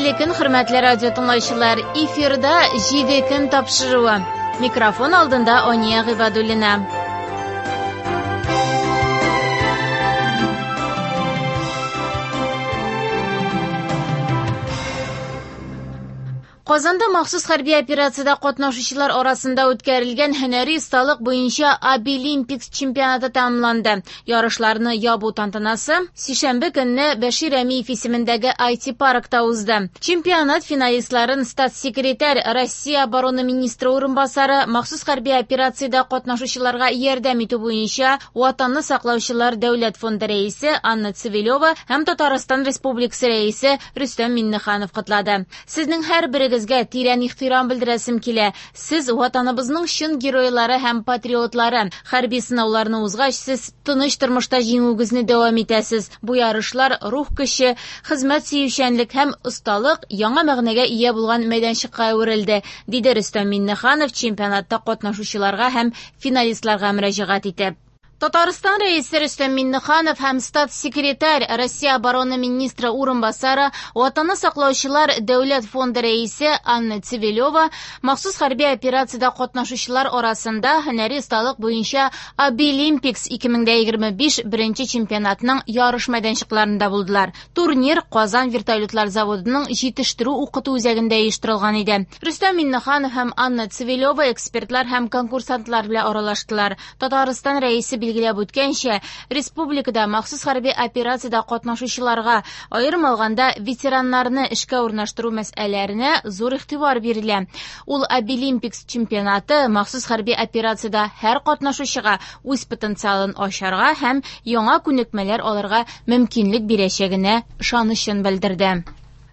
Хәерле көн, хөрмәтле радио тыңлаучылар. Эфирда 7 көн тапшыруы. Микрофон алдында Ания Гыйбадуллина. Казанда махсус хәрби операциядә катнашучылар арасында үткәрелгән һөнәри осталык буенча Абилимпикс чемпионаты тәмамланды. Ярышларны ябу тантанасы сишәмбе көнне Бәшир Рәмиев исемендәге IT-паркта узды. Чемпионат финалистларын статс-секретарь, Россия оборона министры урынбасары, махсус хәрби операциядә катнашучыларга ярдәм итү буенча Ватанны саклаучылар дәүләт фонды рәисе Анна Цивилева һәм Татарстан Республикасы рәисе Рөстәм Миңнеханов котлады. Сезнең һәрберегезгә тирән ихтирам белдерәсем килә. Сез ватаныбызның чын геройлары һәм патриотлары. Хәрби сынауларны узгач, сез тыныч тормышта җиңүегезне дәвам итәсез. Бу ярышлар рух көче, хезмәт сөючәнлек һәм осталык яңа мәгънәгә ия булган мәйданчыкка әверелде, диде Рөстәм Миңнеханов чемпионатта катнашучыларга һәм финалистларга мөрәҗәгать итеп. Татарстан Рәисе Рөстәм Миңнеханов һәм статс-секретарь, Россия оборона министры урынбасары, Ватанны саклаучылар дәүләт фонды рәисе Анна Цивилева махсус хәрби операциядә катнашучылар арасында һөнәри осталык буенча Абилимпикс 2025 беренче чемпионатның ярыш мәйданчыкларында булдылар. Турнир Казан вертолетлар заводының җитештерү укыту үзәгендә оештырылган иде. Рөстәм Миңнеханов һәм Анна Цивилева экспертлар һәм конкурсантлар белән аралаштылар. Татарстан Рәисе билгеләп үткәнчә, республикада махсус хәрби операциядә катнашучыларга, аерым алганда ветераннарны эшкә урнаштыру мәсьәләләренә зур игътибар бирелә. Ул Абилимпикс чемпионаты махсус хәрби операциядә һәр катнашучыга үз потенциалын ачарга һәм яңа күнекмәләр алырга мөмкинлек бирәчәгенә ышанычын белдерде.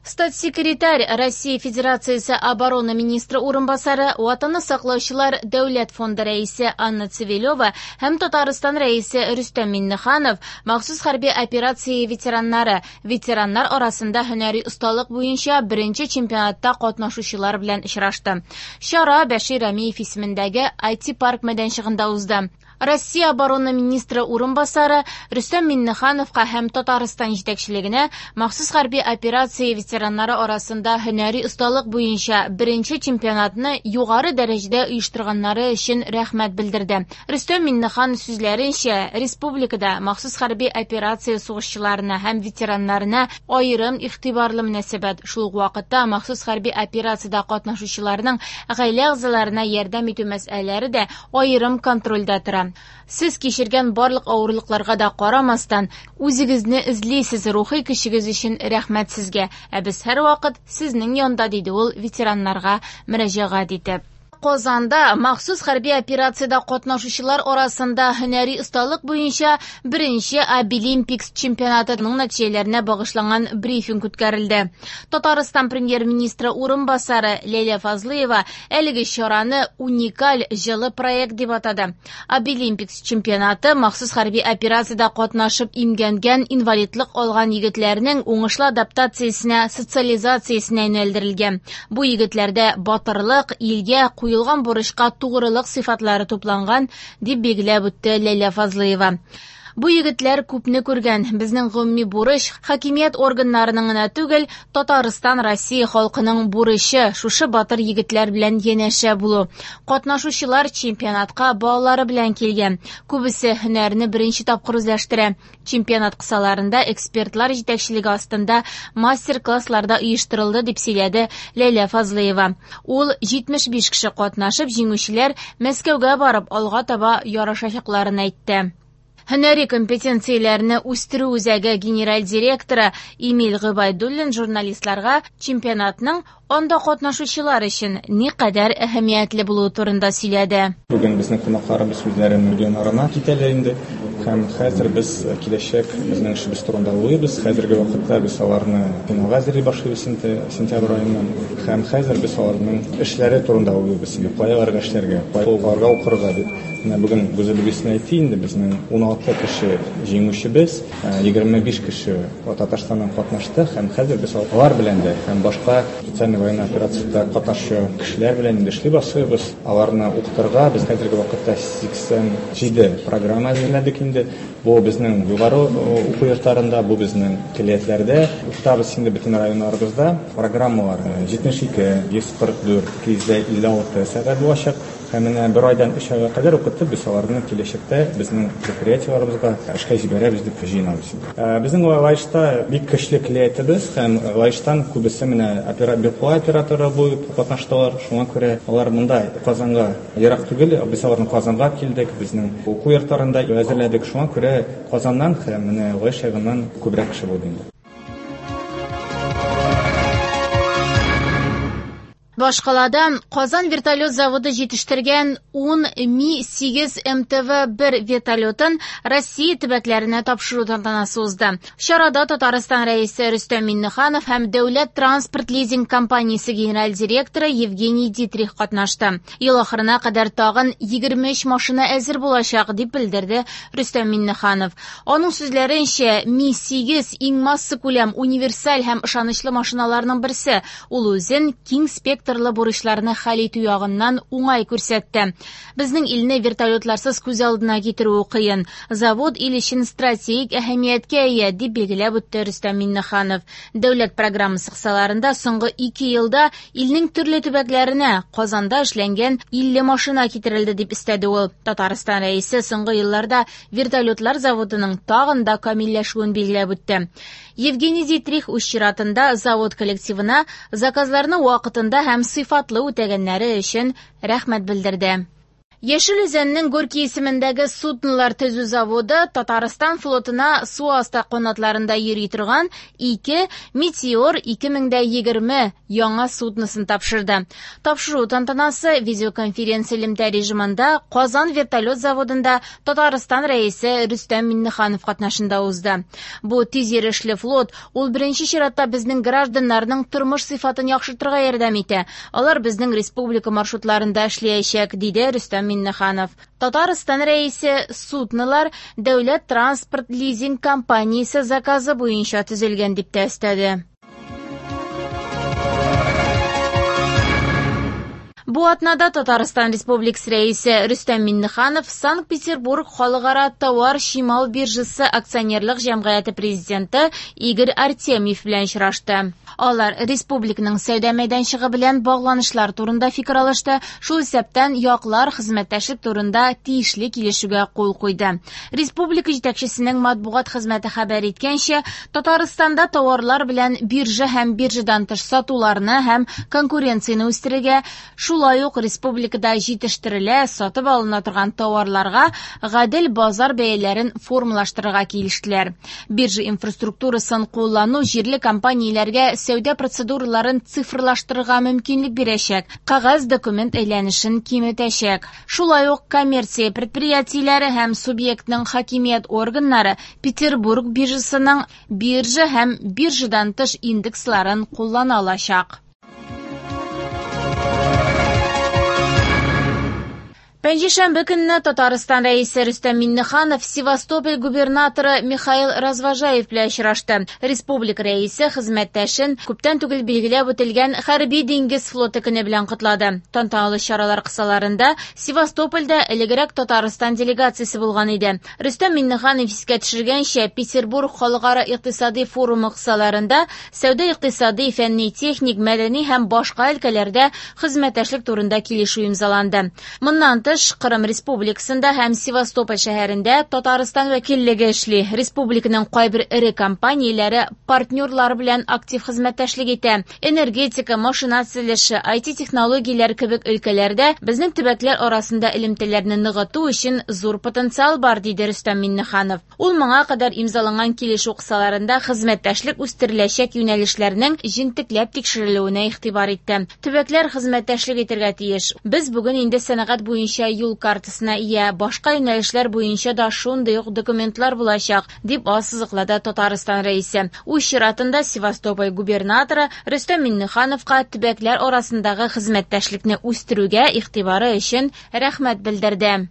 Статс-секретарь, Россия Федерациясе оборона министры урынбасары, Ватанны саклаучылар дәүләт фонды рәисе Анна Цивилева һәм Татарстан Рәисе Рөстәм Миңнеханов махсус хәрби операция ветераннары, ветераннар арасында һөнәри осталык буенча беренче чемпионатта катнашучылар белән очрашты. Чара Бәшир Рәмиев исемендәге IT-парк мәйданчыгында узды. Россия оборона министры урынбасары Рөстәм Миңнехановка һәм Татарстан җитәкчелегенә махсус хәрби операция ветераннары арасында һөнәри осталык буенча беренче чемпионатны югары дәрәҗәдә оештырганнары өчен рәхмәт белдерде. Рөстәм Миңнеханов сүзләренчә, республикада махсус хәрби операция сугышчыларына һәм ветераннарына аерым игътибарлы мөнәсәбәт, шул ук вакытта махсус хәрби операциядә катнашучыларның гаилә әгъзаларына ярдәм итү мәсьәләләре дә аерым контрольдә тора. Сез кичергән барлык авырлыкларга да карамастан, үзегезне эзлисез, рухи көчегез өчен рәхмәт сезгә. Ә без һәрвакыт сезнең янда, диде ул ветераннарга мөрәҗәгать итеп. Казанда махсус хәрби операциядә катнашучылар арасында һөнәри осталык буенча беренче Абилимпикс чемпионатының нәтиҗәләренә багышланган брифинг үткәрелде. Татарстан премьер-министры урынбасары Ләйлә Фазлыева әлеге чараны уникаль җылы проект дип атады. Абилимпикс чемпионаты махсус хәрби операциядә катнашып имгәнгән, инвалидлык алган егетләрнең уңышлы адаптациясенә, социализациясенә юнәлдерелгән. Бу егетләрдә батырлык, илгә куелган бурычка тугрылык сыйфатлары тупланган, дип билгеләп үтте Ләйлә Фазлыева. Бу егетләр күпне күргән. Безнең гомуми бурыч хакимият органнарының гына түгел, Татарстан, Россия халкының бурычы шушы батыр егетләр белән янәшә булу. Катнашучылар чемпионатка балалары белән килгән. Күбесе һөнәрне беренче тапкыр үзләштерә. Чемпионат кысаларында экспертлар җитәкчелеге астында мастер-класслар да оештырылды, дип сөйләде Ләйлә Фазлыева. Ул 75 кеше катнашып, җиңүчеләр Мәскәүгә барып алга таба ярышачакларын әйтте. Һөнәри компетенцияләрне үстерү үзәге генераль директоры Эмиль Гыйбайдуллин журналистларга чемпионатның анда катнашучылар өчен никадәр әһәмиятле булуы турында сөйләде. Бүген безнең кунакларыбыз үзләренең регионнарына китәләр инде. Һәм хәзер без киләчәк безнең эшебез турында уйлыйбыз. Хәзерге вакытта без аларны финалга әзерли башлыйбыз инде сентябрь аеннан. Һәм хәзер без аларның эшләре турында уйлыйбыз инде. Кая аларга эшләргә, кая аларга укырга дип. Менә бүген Гүзәл әйтте инде, безнең 16 кеше җиңүчебез, 25 кеше Татарстаннан катнашты һәм хәзер без алар белән дә һәм башка специальный военный операциядә катнашучы кешеләр белән инде эшли башлыйбыз. Аларны укытырга без хәзерге вакытта 87 программа әзерләдек инде. Бу безнең югары уку йортларында, бу безнең көллиятләрдә укытабыз инде бөтен районнарыбызда. Программалар 72, 144, 256 сәгать булачак. Һәм менә бер айдан 3 айга кадәр укытып, без аларны киләчәктә безнең предприятиеләребезгә эшкә җибәрәбез дип җыенабыз инде. Безнең Лаешта бик көчле көллиятебез һәм Лаештан күбесе менә БПЛА операторы булып катнаштылар. Шуңа күрә алар монда Казанга ерак түгел, без аларны Казанга килдек, безнең уку йортларында әзерләдек. Шуңа күрә Казаннан һәм менә Лаеш ягыннан күбрәк кеше булды инде. Башкалада Казан вертолет заводы җитештергән 10 Ми-8 МТВ-1 вертолетын Россия төбәкләренә тапшыру тантанасы узды. Чарада Татарстан Рәисе Рөстәм Миңнеханов һәм Дәүләт транспорт лизинг компаниясе генераль директоры Евгений Дитрих катнашты. Ел ахырына кадәр тагын 23 машина әзер булачак, дип белдерде Рөстәм Миңнеханов. Аның сүзләренчә, Ми-8 иң массакүләм, универсаль һәм ышанычлы машиналарның берсе. Ул үзен киң спектрлы бурычларны хәл итү ягыннан уңай күрсәтте. Безнең илне вертолетларсыз күз алдына китерүе кыен. Завод ил өчен стратегик әһәмияткә ия, дип билгеләп үтте Рөстәм Миңнеханов. Дәүләт программасы кысаларында соңгы 2 елда илнең төрле төбәкләренә Казанда эшләнгән 50 машина китерелде, дип өстәде ул. Татарстан Рәисе соңгы елларда вертолетлар заводының тагын да камилләшүен билгеләп үтте. Евгений Дитрих үз чиратында завод коллективына заказларны вакытында һәм сыйфатлы үтәгәннәре өчен рәхмәт белдерде. Яшел Үзәннең Горький исемендәге суднолар төзү заводы Татарстан флотына су асты канатларында йөри торган 2 Метеор 2020 яңа судносын тапшырды. Тапшыру тантанасы видеоконференция элемтә режимында Казан вертолет заводында Татарстан Рәисе Рөстәм Миңнеханов катнашында узды. Бу тиз йөрешле флот ул беренче чиратта безнең гражданнарның тормыш сыйфатын яхшыртырга ярдәм итә. Алар безнең республика маршрутларында эшләячәк, диде Рөстәм Миңнеханов. Татарстан Рәисе суднолар Дәүләт транспорт лизинг компаниясе заказы буенча төзелгән дип тә өстәде. Бу атнада Татарстан Республикасы Рәисе Рөстәм Миңнеханов Санкт-Петербург халыкара товар чимал биржасы акционерлык җәмгыяте президенты Игорь Артемьев белән очрашты. Алар республиканың сәүдә мәйданчыгы белән багланышлар турында фикер алышты, шул исәптән яклар хезмәттәшлек турында тиешле килешүгә кул куйды. Республика җитәкчесенең матбугат хезмәте хәбәр иткәнчә, Татарстанда товарлар белән биржа һәм биржадан тыш сатуларны һәм конкуренцияне үстерергә, шулай ук республикада җитештерелә, сатып алына торган товарларга гадел базар бәяләрен формалаштырырга килештеләр. Биржа инфраструктурасын куллану җирле компанияләргә сәүдә процедураларын цифрлаштырырга мөмкинлек бирәчәк, кәгазь документ әйләнешен киметәчәк. Шулай ук коммерция предприятиеләре һәм субъектның хакимият органнары Петербург биржасының биржа һәм биржадан тыш индексларын куллана алачак. Пәнҗешәмбе көнне Татарстан Рәисе Рөстәм Миңнеханов Севастополь губернаторы Михаил Развожаев белән очрашты. Республика Рәисе хезмәттәшен күптән түгел билгеләп үтелгән Хәрби диңгез флоты көне белән котлады. Тантаналы чаралар кысаларында Севастопольдә элегрәк Татарстан делегациясе булган иде. Рөстәм Миңнеханов искә төшергәнчә, Петербург халыкара икътисади форумы кысаларында сәүдә, икътисади, фәнни, техник, мәдәни һәм башка өлкәләрдә хезмәттәшлек турында килешү имзаланды. Моннан тыш, Кырым Республикасында һәм Севастополь шәһәрендә Татарстан вәкиллеге эшли. Республиканың кайбер эре компанияләре партнерлар белән актив хезмәттәшлек итә. Энергетика, машина төзелеше, IT технологияләр кебек өлкәләрдә безнең төбәкләр арасында элемтәләрне ныгыту өчен зур потенциал бар, диде Рөстәм Миңнеханов. Ул моңа кадәр имзаланган килешү кысаларында хезмәттәшлек үстереләчәк юнәлешләрнең җентекләп тикшерелүенә игътибар итте. Төбәкләр хезмәттәшлек итәргә тиеш. Без бүген инде сәнәгать буенча юл картасына ия, башка юнәлешләр буенча да шундый ук документлар булачак, дип ассызыклады Татарстан Рәисе. Үз чиратында Севастополь губернаторы Рөстәм Миңнехановка төбәкләр арасындагы хезмәттәшлекне үстерүгә игътибары өчен рәхмәт белдерде.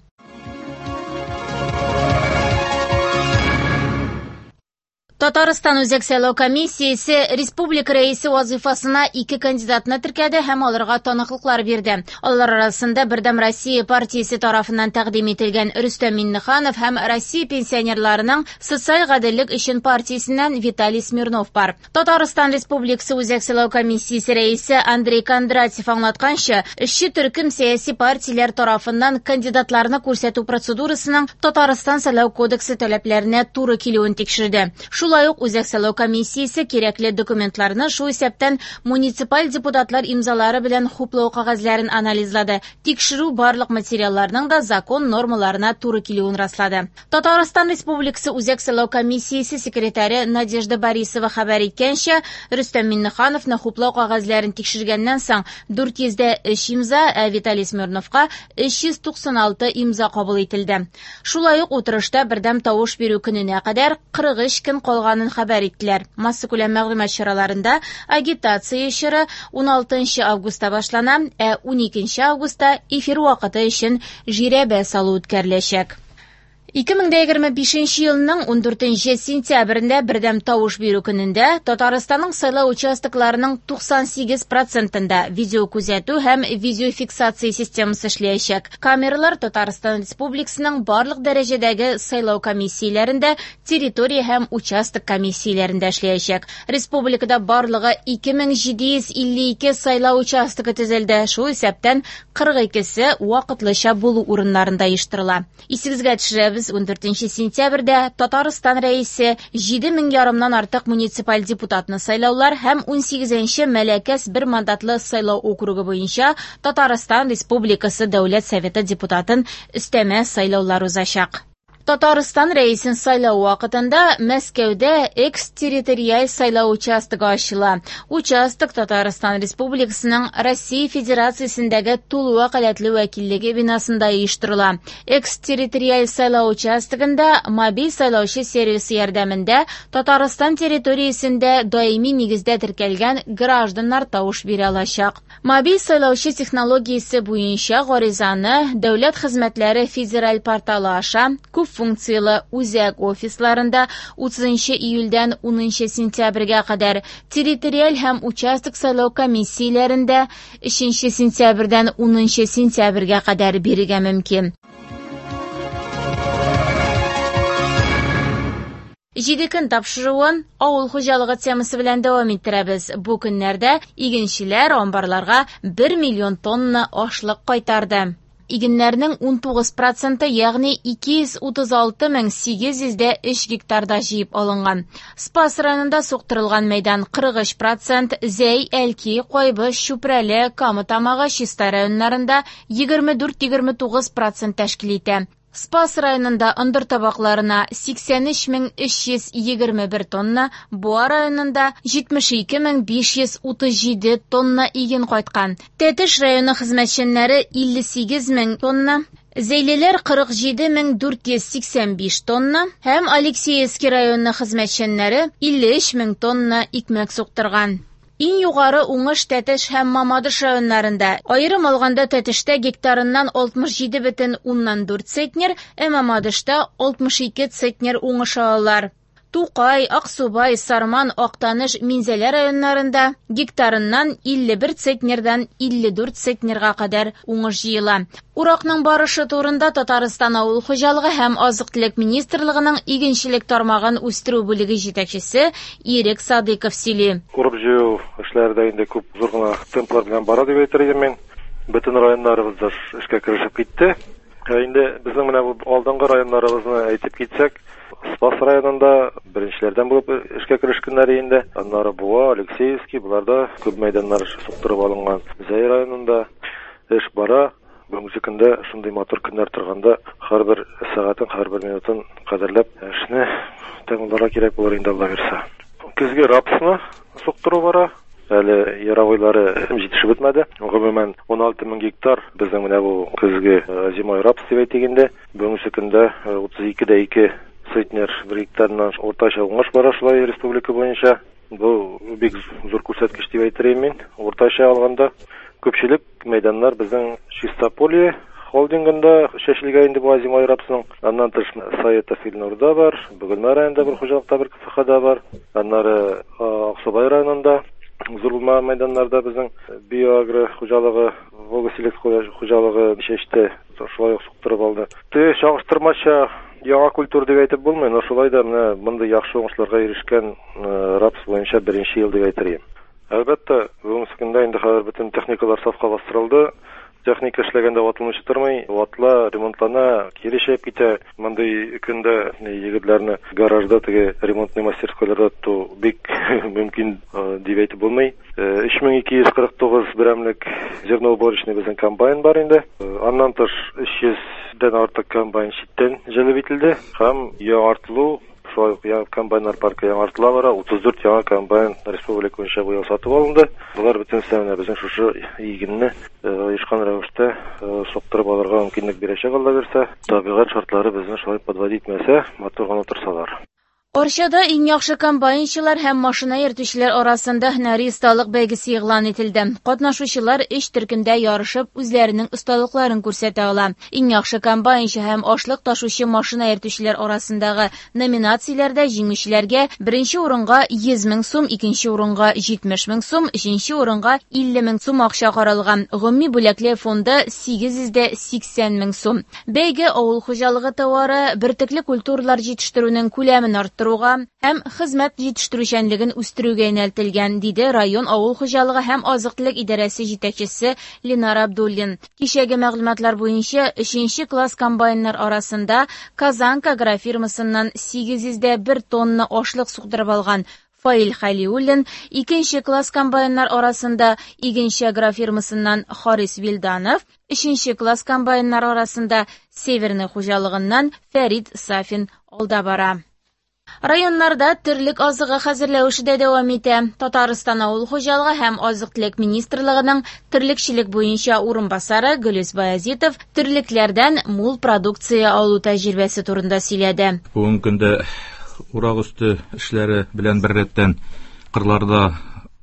Татарстан Үзәк сайлау комиссиясе республика рәисе вазыйфасына ике кандидатны теркәде һәм аларга таныклыклар бирде. Алар арасында Бердәм Россия партиясе тарафыннан тәкъдим ителгән Рөстәм Миңнеханов һәм Россия пенсионерларының социаль гаделлек өчен партиясеннән Виталий Смирнов бар. Татарстан Республикасы Үзәк сайлау комиссиясе рәисе Андрей Кондратьев аңлатканча, эшче төркем сәяси партияләр тарафыннан кандидатларны күрсәтү процедурасының Татарстан сайлау кодексы таләпләренә туры килүен тикшерде. Шулай ук Үзәк сайлау комиссиясе кирәкле документларны, шул исәптән муниципаль депутатлар имзалары белән хуплау кәгазьләрен анализлады. Тикшерү барлык материалларның да закон нормаларына туры килүен раслады. Татарстан Республикасы Үзәк сайлау комиссиясе секретаре Надежда Борисова хәбәр иткәнчә, Рөстәм Миңнехановны хуплау кәгазьләрен тикшергәннән соң 403 имза, ә Виталий Смирновка 396 имза кабул ителде. Шулай ук утырышта бердәм тавыш бирү көненә кадәр 43 көн калганын хәбәр иттеләр. Массакүләм мәгълүмат чараларында агитация чоры 16 августта башлана, ә 12 августта эфир вакыты өчен жирәбә салу үткәреләчәк. 2025 елның 14 сентябрендә бердәм тавыш бирү көнендә Татарстанның сайлау участокларының 98%-ында видеокүзәтү һәм видеофиксация системасы эшләячәк. Камералар Татарстан Республикасының барлык дәрәҗәдәге сайлау комиссияләрендә, территория һәм участок комиссияләрендә эшләячәк. Республикада барлыгы 2752 сайлау участогы төзелде, шул исәптән 42-се вакытлыча булу урыннарында оештырыла. Исегезгә төшерәбез, 14 сентябрьдә Татарстан рәисе 7 мең ярымнан артык муниципаль депутатны сайлаулар һәм 18 Мәләкәс бер мандатлы сайлау округы буенча Татарстан Республикасы Дәүләт Советы депутатын өстәмә сайлаулар узачак. Татарстан рәисен сайлау вакытында Мәскәүдә экс-территориаль сайлау участогы ачыла. Участок Татарстан Республикасының Россия Федерациясендәге тулы вәкаләтле вәкиллеге бинасында оештырыла. Экс-территориаль сайлау участогында мобиль сайлаучы сервисы ярдәмендә Татарстан территориясендә даими нигездә теркәлгән гражданнар тавыш бирә алачак. Мобиль сайлаучы технологиясе буенча гаризаны Дәүләт хезмәтләре федераль порталы аша күп функцияле үзәк офисларында 30 июльдән 10 сентябрьгә кадәр, территориаль һәм участок сайлау комиссияләрендә 3 сентябрьдән 10 сентябрьгә кадәр бирергә мөмкин. Җиде көн тапшыруын авыл хуҗалыгы темасы белән дәвам иттерәбез. Бу көннәрдә игенчеләр амбарларга 1 миллион тонна ашлык кайтарды. Игеннәрнең 19%, ягъни 236 803 гектарда җыеп алынган. Спас районында суктырылган мәйдан 43%, Зәй, Әлки, Кайбыч, Чүпрәле, Кама Тамагы, Чистай районнарында 24-29% тәшкил итә. Спас районында ындыр табакларына 83 321 тонна, Буа районында 72 537 тонна иген кайткан. Тәтеш районы хезмәтчәннәре 58 мең тонна, Зәйлеләр 47 485 тонна һәм Алексеевский районы хезмәтчәннәре 53 мең тонна икмәк суктырган. Иң югары уңыш Тәтеш һәм Мамадыш районнарында. Аерым алганда, Тәтештә гектарыннан 67,4 центнер, ә Мамадышта 62 центнер уңыш алалар. Тукай, Аксубай, Сарман, Актаныш, Минзәлә районнарында гектарыннан 51 центнердан 54 центнерга кадәр уңыш җыела. Уракның барышы турында Татарстан авыл хуҗалыгы һәм азык-төлек министрлыгының игенчелек тармагын үстерү бүлеге җитәкчесе Ирек Садыйков сөйли. Урып җыю эшләре дә инде күп зур гына темплар белән бара дип әйтер идем мин. Бөтен районнарыбыз да эшкә керешеп китте. Ә инде безнең менә бу алдынгы районнарыбызны әйтеп китсәк, Спас районында беренчеләрдән булып эшкә керешкәннәр инде. Аннары Буа, Алексеевский, буларда күп мәйданнар суктырып алынган. Зәй районында эш бара. Бүгенге көндә шундый матур көннәр торганда һәрбер сәгатен, һәрбер минутын кадерләп эшне тәмамларга кирәк булыр инде, Алла бирсә. Көзге рапсны суктыру бара. Әле яровойлары җитешеп бетмәде. Гомумән 16 мең гектар безнең менә бу көзге зимой рапс дип әйтик инде. Бүгенге көндә 32,2 центнер бер гектарыннан уртача уңыш бара шулай республика буенча. Бу бик зур күрсәткеч дип әйтер идем мин. Уртача алганда күпчелек мәйданнар безнең чистополье. Холдингында чәчелгән инде бу озимой рапсның. Аннан тыш Саетов Илнурда бар, Бөгелмә районында бер хуҗалыкта бер КФХда бар. Аннары Аксубай районында зур булмаган мәйданнарда безнең Биоагро хуҗалыгы, Волга Селект хуҗалыгы чәчте, шулай ук суктырып алды. Теге чагыштырмача яңа культура дип әйтеп булмый, но шулай да менә мондый яхшы уңышларга ирешкән рапс буенча беренче ел дип әйтер идем. Әлбәттә, бүгенге көндә инде хәзер бөтен техникалар сафка бастырылды. Техника эшләгәндә ватылмыйча тормый, ватыла, ремонтлана, кире чәеп китә. Мондый көндә егетләрне гаражда теге ремонтный мастерскойларда тоту бик мөмкин дип әйтеп булмый. 3249 берәмлек зерноуборочный безнең комбайн бар инде. Аннан тыш 300 дән артык комбайн читтән җәлеп ителде һәм яңартылу. Шулай ук яңа комбайннар паркы яңартыла бара. 34 яңа комбайн республика буенча быел сатып алынды. Болар бөтенесе менә безнең шушы игенне оешкан рәвештә суктырып алырга мөмкинлек бирәчәк, Алла бирсә. Табигать шартлары безне шулай подводить итмәсә, матур гына торсалар. Арчада иң яхшы комбайнчылар һәм машина йөртүчеләр арасында һөнәри осталык бәйгесе игълан ителде. Катнашучылар өч төркемдә ярышып, үзләренең осталыкларын күрсәтә ала. Иң яхшы комбайнчы һәм ашлык ташучы машина йөртүчеләр арасындагы номинацияләрдә җиңүчеләргә беренче урынга 100 мең сум, икенче урынга 70 мең сум, өченче урынга 50 мең сум акча каралган. Гомуми бүләкле фонды 880 мең сум. Бәйге авыл хуҗалыгы товары, бөртекле культуралар җитештерүнең күләмен арттыруга һәм хезмәт җитештерүчәнлеген үстерүгә юнәлтелгән, диде район авыл хуҗалыгы һәм азык-төлек идарәсе җитәкчесе Ленар Абдуллин. Кичәге мәгълүматлар буенча, өченче класс комбайннар арасында Казанка агрофирмасыннан 801 тонна ашлык суктырып алган Фаил Халиуллин, икенче класс комбайннар арасында Игенче агрофирмасыннан Харис Вилданов, өченче класс комбайннар арасында Северный хуҗалыгыннан Фәрид Сафин алда бара. Районнарда терлек азыгы хәзерләү эше дә дәвам итә. Татарстан авыл хуҗалыгы һәм азык-төлек министрлыгының терлекчелек буенча урынбасары Гөлүс Баязитов терлекләрдән мул продукция алу тәҗрибәсе турында сөйләде. Бүгенге көндә урак өсте эшләре белән беррәттән кырларда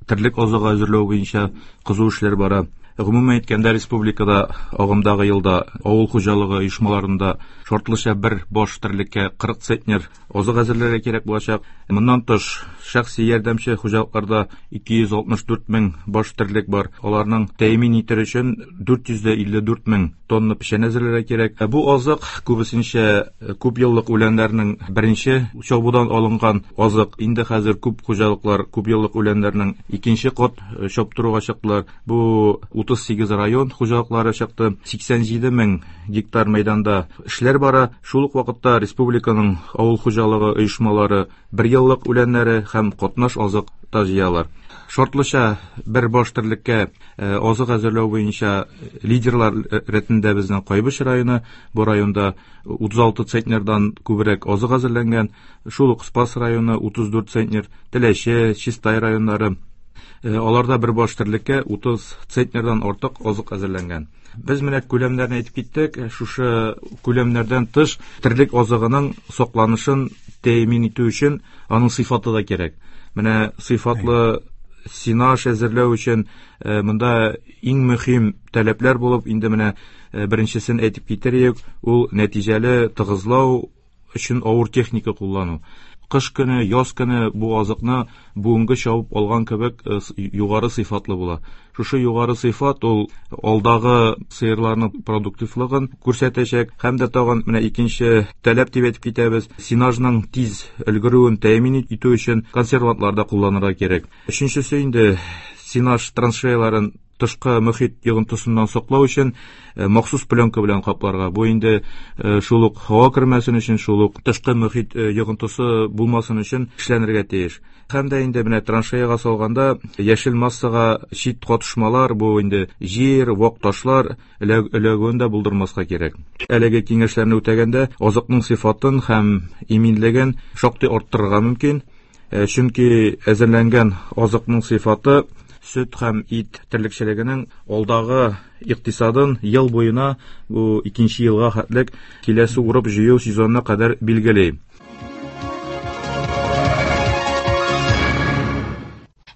терлек азыгы әзерләү буенча кызу эшләр бара. Гомумән әйткәндә, республикада агымдагы елда авыл хуҗалыгы оешмаларында шартлыча бер баш терлеккә 40 центнер азык әзерләргә кирәк булачак. Моннан тыш, шәхси ярдәмче хуҗалыкларда 264 мең баш терлек бар. Аларның тәэмин итер өчен 454 мең тонна печән әзерләргә кирәк. Бу азык күбесенчә күп еллык үләннәрнең беренче чабудан алынган азык. Инде хәзер күп хуҗалыклар күп еллык үләннәрнең икенче кат чаптыруга чыктылар. Бу 38 район хуҗалыклары чыкты. 87 мең гектар мәйданда эшләр бара. Шул ук вакытта республиканың авыл хуҗалыгы оешмалары бер еллык үләннәре һәм катнаш азык та җыялар. Шартлыча бер баш терлеккә азык әзерләү буенча лидерлар рәтендә безнең Кайбыч районы. Бу районда 36 центнердан күбрәк азык әзерләнгән. Шул ук Спас районы 34 центнер, Теләче, Чистай районнары. Аларда бер баш терлеккә 30 центнердан артык азык әзерләнгән. Без менә күләмнәрне әйтеп киттек. Шушы күләмнәрдән тыш терлек азыгының сакланышын тәэмин итү өчен аның сыйфаты да кирәк. Менә сыйфатлы сенаж әзерләү өчен монда иң мөһим таләпләр булып инде менә беренчесен әйтеп китерик, ул нәтиҗәле тыгызлау өчен авыр техника куллану. Кыш көне, яз көне бу азыкны бүгенге чабып алган кебек югары сыйфатлы була. Шушы югары сыйфат ул алдагы сыерларның продуктивлыгын күрсәтәчәк. Һәм дә тагын менә икенче таләп дип әйтеп китәбез. Сенажның тиз өлгерүен тәэмин итү өчен консервантлар да кулланырга кирәк. Өченчесе инде сенаж траншеяларын тышкы мөхит йогынтысыннан саклау өчен махсус пленка белән капларга. Бу инде шул ук һава кермәсен өчен, шул ук тышкы мөхит йогынтысы булмасын өчен эшләнергә тиеш. Һәм дә инде менә траншеяга салганда яшел массага чит катышмалар, бу инде җир, вак ташлар эләгүен дә булдырмаска кирәк. Әлеге киңәшләрне үтәгәндә азыкның сыйфатын һәм иминлеген шактый арттырырга мөмкин. Чөнки әзерләнгән азыкның сыйфаты сөт һәм ит терлекчелегенең алдагы икътисадын ел буена бу икенче елга хәтлек киләсе урып җыю сезонына кадәр билгели.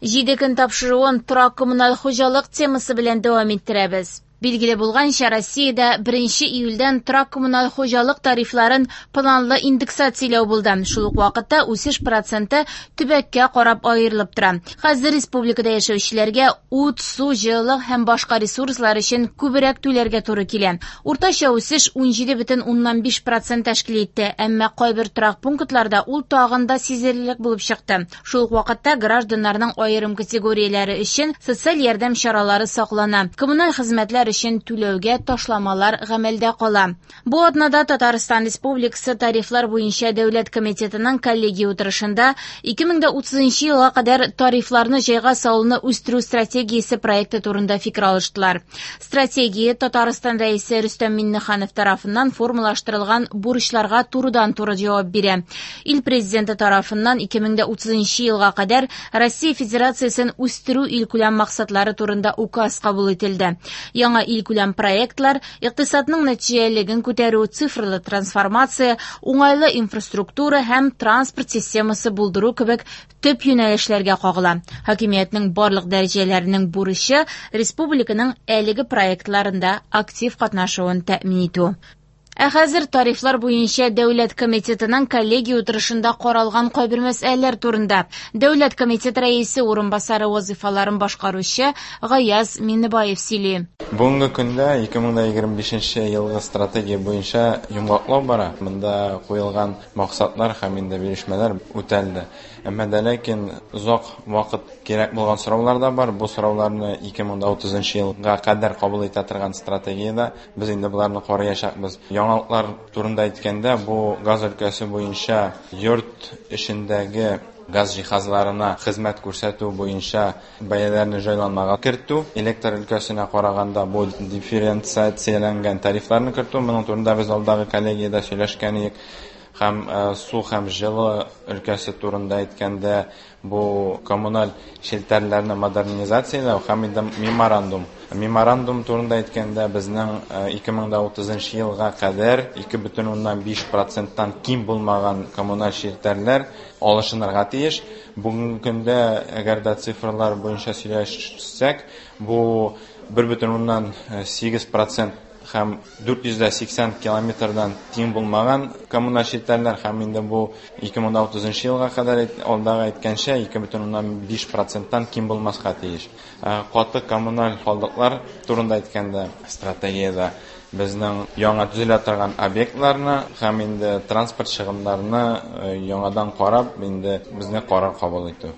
Җиде көн тапшыруын торак коммуналь хуҗалык темасы белән дәвам иттерәбез. Билгеле булганча, Россиядә 1 июльдән торак-коммуналь хуҗалык тарифларын планлы индексацияләү булды. Шул ук вакытта үсеш проценты төбәккә карап аерылып тора. Хәзер республикада яшәүчеләргә ут, су, җылылык һәм башка ресурслар өчен күбрәк түләргә туры килә. Уртача үсеш 17,5% тәшкил итте, әмма кайбер торак пунктларда ул тагын да сизелерлек булып чыкты. Шул ук вакытта гражданнарның аерым категорияләре өчен социаль ярдәм чаралары саклана. Коммуналь хезмәтләр өчен түләүгә ташламалар гамәлдә кала. Бу атнада Татарстан Республикасы тарифлар буенча дәүләт комитетының коллегия утырышында 2030 елга кадәр тарифларны җайга салуны үстерү стратегиясе проекты турында фикер алыштылар. Стратегия Татарстан Рәисе Рөстәм Миңнеханов тарафыннан формалаштырылган бурычларга турыдан-туры җавап бирә. Ил президенты тарафыннан 2030 елга кадәр Россия Федерациясен үстерү илкүләм максатлары турында указ кабул ителде. Яңа илкүләм проектлар икътисадның нәтиҗәлелеген күтәрү, цифрлы трансформация, уңайлы инфраструктура һәм транспорт системасы булдыру кебек төп юнәлешләргә кагыла. Хакимиятнең барлык дәрәҗәләренең бурычы республиканың әлеге проектларында актив катнашуын тәэмин итү. Ә хәзер тарифлар буенча дәүләт комитетының коллегия утырышында каралган кайбер мәсьәләләр турында. Дәүләт комитет рәисе урынбасары вазифаларын башкаручы Гаяз Миннебаев сөйли. Бүгенге көндә 2025 елгы стратегия буенча йомгаклау бара. Монда куелган максатлар һәм инде белешмәләр үтәлде. Әмма дә ләкин озак вакыт кирәк булган сораулар да бар. Бу сорауларны 2030 елга кадәр кабул итә торган стратегиядә без инде боларны караячакбыз. Яңалыклар турында әйткәндә, бу газ өлкәсе буенча йорт эчендәге газ җиһазларына хезмәт күрсәтү буенча бәяләрне җайланмага кертү, электр өлкәсенә караганда бу дифференциацияләнгән тарифларны кертү, моның турында без алдагы коллегиядә сөйләшкән идек. Һәм су һәм җылы өлкәсе турында әйткәндә, бу коммуналь челтәрләрне модернизацияләү һәм инде меморандум. Меморандум турында әйткәндә, безнең 2030 елга кадәр 2,5%-тан ким булмаган коммуналь челтәрләр алышынырга тиеш. Бүгенге көндә, әгәр дә цифрлар буенча сөйләшсәк, бу 1,8% һәм 480 километрдан тиң булмаган коммуналь челтәрләр, һәм инде бу 2030 елга кадәр алдагы әйткәнчә 2,5%-тан ким булмаска тиеш. Каты коммуналь калдыклар турында әйткәндә, стратегиядә безнең яңа төзелә торган объектларны һәм инде транспорт чыгымнарны яңадан карап, инде безне карар кабул итү.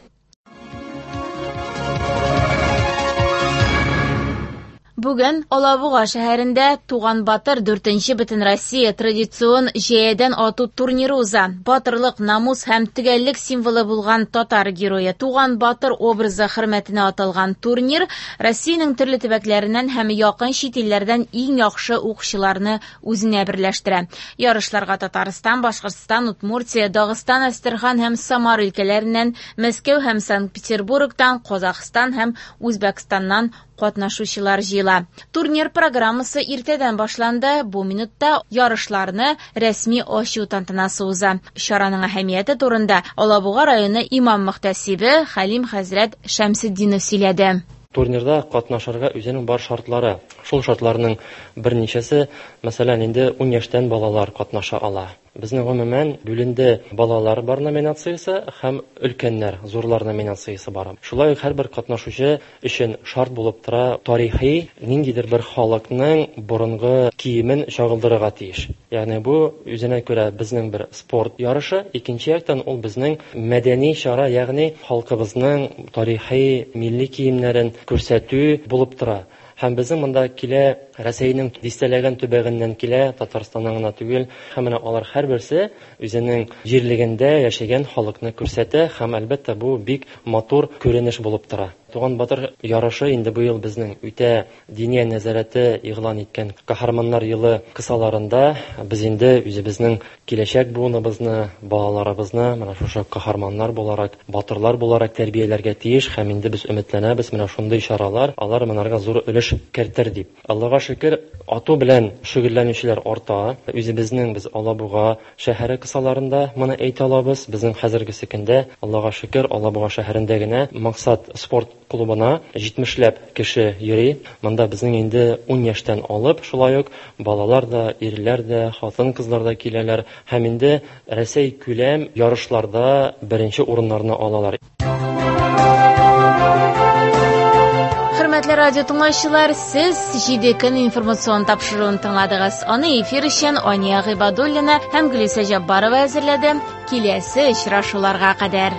Бүген Алабуга шәһәрендә Туган Батыр 4-нче Бөтенроссия традицион җәядән ату турниры уза. Батырлык, намус һәм төгәллек символы булган татар герое Туган Батыр образы хөрмәтенә аталган турнир Россиянең төрле төбәкләреннән һәм якын чит илләрдән иң яхшы укчыларны үзенә берләштерә. Ярышларга Татарстан, Башкортстан, Удмуртия, Дагыстан, Әстерхан һәм Самар өлкәләреннән, Мәскәү һәм Санкт-Петербургтан, Казахстан һәм Үзбәкстаннан катнашучылар җыела. Турнир программасы иртәдән башланды. Бу минутта ярышларны рәсми ачу тантанасы уза. Чараның әһәмияте турында Алабуга районы имам мөхтәсибе Хәлим хәзрәт Шәмсетдинов сөйләде. Турнирда катнашырга үзенең бар шартлары. Шул шартларның берничәсе, мәсәлән, инде 10 яшьтән балалар катнаша ала. Безнең гомумән бүленде балалар бар номинациясе һәм өлкәннәр, зурлар номинациясе бар. Шулай ук һәрбер катнашучы өчен шарт булып тора тарихи ниндидер бер халыкның борынгы киемен чагылдырырга тиеш. Ягъни бу үзенә күрә безнең бер спорт ярышы, икенче яктан ул безнең мәдәни чара, ягъни халкыбызның тарихи милли киемнәрен күрсәтү булып тора. Һәм безнең монда килә Рәсәйнең дистәләгән төбәгеннән килә, Татарстаннан гына түгел. Һәм менә алар һәрберсе үзенең җирлегендә яшәгән халыкны күрсәтә һәм әлбәттә бу бик матур күренеш булып тора. Туган Батыр ярышы инде бу ел безнең үтә диния нәзарәте игълан иткән Каһарманнар елы кысаларында без инде үзебезнең киләчәк буыныбызны, балаларыбызны менә шушы каһарманнар буларак, батырлар буларак тәрбияләргә тиеш һәм инде без өметләнәбез менә шундый чаралар алар монарга зур өлеш кертер дип. Аллага шөкер, ату белән шөгыльләнүчеләр арта. Үзебезнең без Алабуга шәһәре кысаларында моны әйтә алабыз. Безнең хәзерге көндә, Аллага шөкер, Алабуга шәһәрендә генә Максат спорт клубына 70ләп кеше йөри. Монда безнең инде 10 яшьтән алып, шулай ук балалар да, ирләр дә, хатын-кызлар да киләләр һәм инде Рәсәй күләм ярышларда беренче урыннарны алалар. Хөрмәтле радио тыңлаучылар, сез 7 көн информацион тапшыруын тыңладыгыз. Аны эфир өчен Ания Гыйбадуллина һәм Гөлүсә Җаббарова әзерләде. Киләсе очрашуларга кадәр.